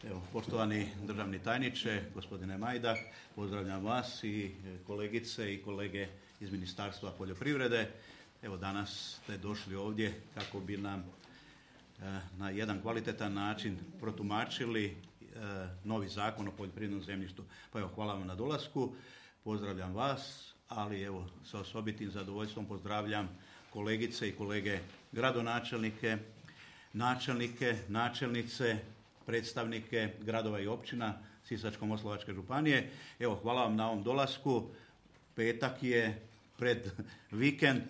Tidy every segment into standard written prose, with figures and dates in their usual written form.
Evo, poštovani državni tajniče, gospodine Majdak, pozdravljam vas i kolegice i kolege iz Ministarstva poljoprivrede. Evo, danas ste došli ovdje kako bi nam na jedan kvalitetan način protumačili novi zakon o poljoprivrednom zemljištu. Pa evo, hvala vam na dolasku, pozdravljam vas, ali evo, sa osobitim zadovoljstvom pozdravljam kolegice i kolege gradonačelnike, načelnike, načelnice, predstavnike gradova i općina Sisačko-moslavačke županije. Evo, hvala vam na ovom dolasku. Petak je pred vikend,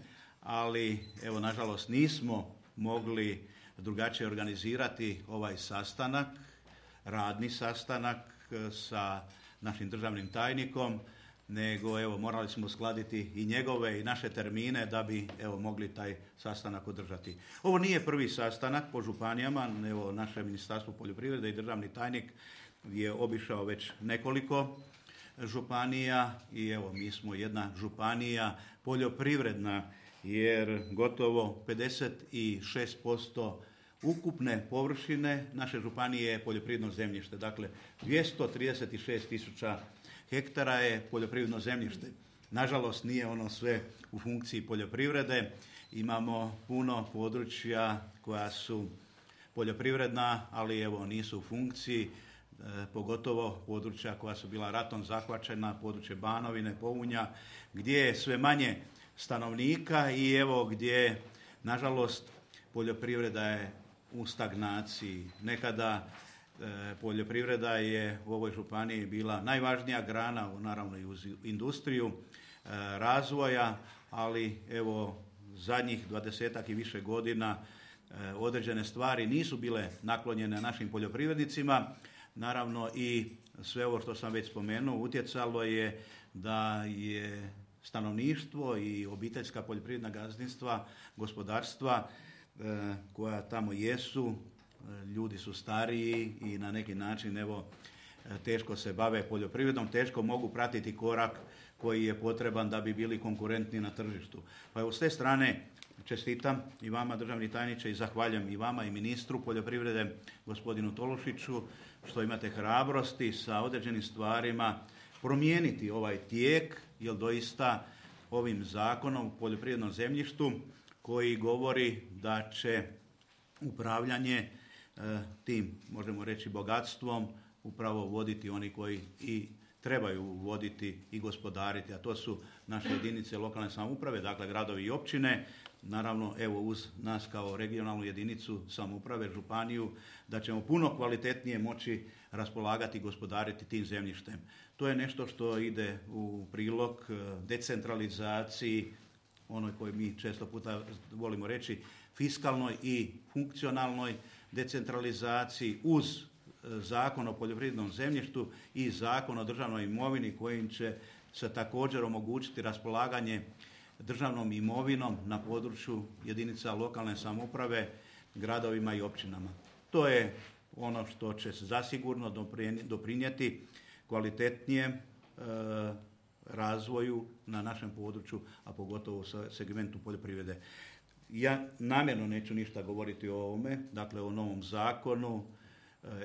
ali evo, nažalost nismo mogli drugačije organizirati ovaj sastanak, radni sastanak sa našim državnim tajnikom, nego evo, morali smo uskladiti i njegove i naše termine da bi evo, mogli taj sastanak održati. Ovo nije prvi sastanak po županijama, evo, naše Ministarstvo poljoprivrede i državni tajnik je obišao već nekoliko županija i evo, mi smo jedna županija poljoprivredna, jer gotovo 56% ukupne površine naše županije je poljoprivredno zemljište. Dakle, 236.000 hektara je poljoprivredno zemljište. Nažalost, nije ono sve u funkciji poljoprivrede. Imamo puno područja koja su poljoprivredna, ali evo, nisu u funkciji, pogotovo područja koja su bila ratom zahvaćena, područje Banovine, Pounja, gdje je sve manje stanovnika i evo gdje, nažalost, poljoprivreda je u stagnaciji. Nekada poljoprivreda je u ovoj županiji bila najvažnija grana, naravno i uz industriju razvoja, ali evo zadnjih 20-ak i više godina određene stvari nisu bile naklonjene našim poljoprivrednicima. Naravno i sve ovo što sam već spomenuo utjecalo je da je stanovništvo i obiteljska poljoprivredna gazdinstva, gospodarstva koja tamo jesu, ljudi su stariji i na neki način evo, teško se bave poljoprivredom, teško mogu pratiti korak koji je potreban da bi bili konkurentni na tržištu. Pa evo, s te strane čestitam i vama, državni tajniče, i zahvaljujem i vama i ministru poljoprivrede, gospodinu Tolušiću, što imate hrabrosti sa određenim stvarima promijeniti ovaj tijek, jer doista ovim zakonom o poljoprivrednom zemljištu koji govori da će upravljanje tim, možemo reći, bogatstvom upravo voditi oni koji i trebaju voditi i gospodariti, a to su naše jedinice lokalne samouprave, dakle gradovi i općine, naravno evo uz nas kao regionalnu jedinicu samouprave, županiju, da ćemo puno kvalitetnije moći raspolagati i gospodariti tim zemljištem. To je nešto što ide u prilog decentralizaciji, onoj koju mi često puta volimo reći, fiskalnoj i funkcionalnoj decentralizaciji uz Zakon o poljoprivrednom zemljištu i Zakon o državnoj imovini kojim će se također omogućiti raspolaganje državnom imovinom na području jedinica lokalne samouprave, gradovima i općinama. To je ono što će se zasigurno doprinijeti kvalitetnijem razvoju na našem području, a pogotovo u segmentu poljoprivrede. Ja namjerno neću ništa govoriti o ovome, dakle o novom zakonu.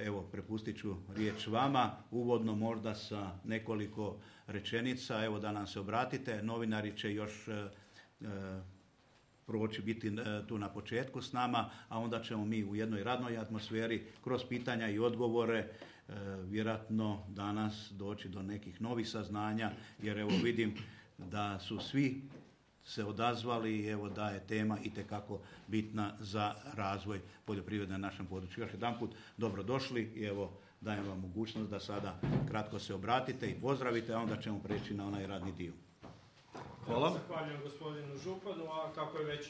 Evo, prepustit ću riječ vama, uvodno možda sa nekoliko rečenica, evo da nam se obratite. Novinari će još proći biti tu na početku s nama, a onda ćemo mi u jednoj radnoj atmosferi kroz pitanja i odgovore vjerojatno danas doći do nekih novih saznanja, jer evo vidim da su svi se odazvali i evo da je tema itekako bitna za razvoj poljoprivrede na našem području. Još jedanput dobrodošli i evo dajem vam mogućnost da sada kratko se obratite i pozdravite, a onda ćemo preći na onaj radni dio. Hvala. Zahvaljujem gospodinu županu, a kako je već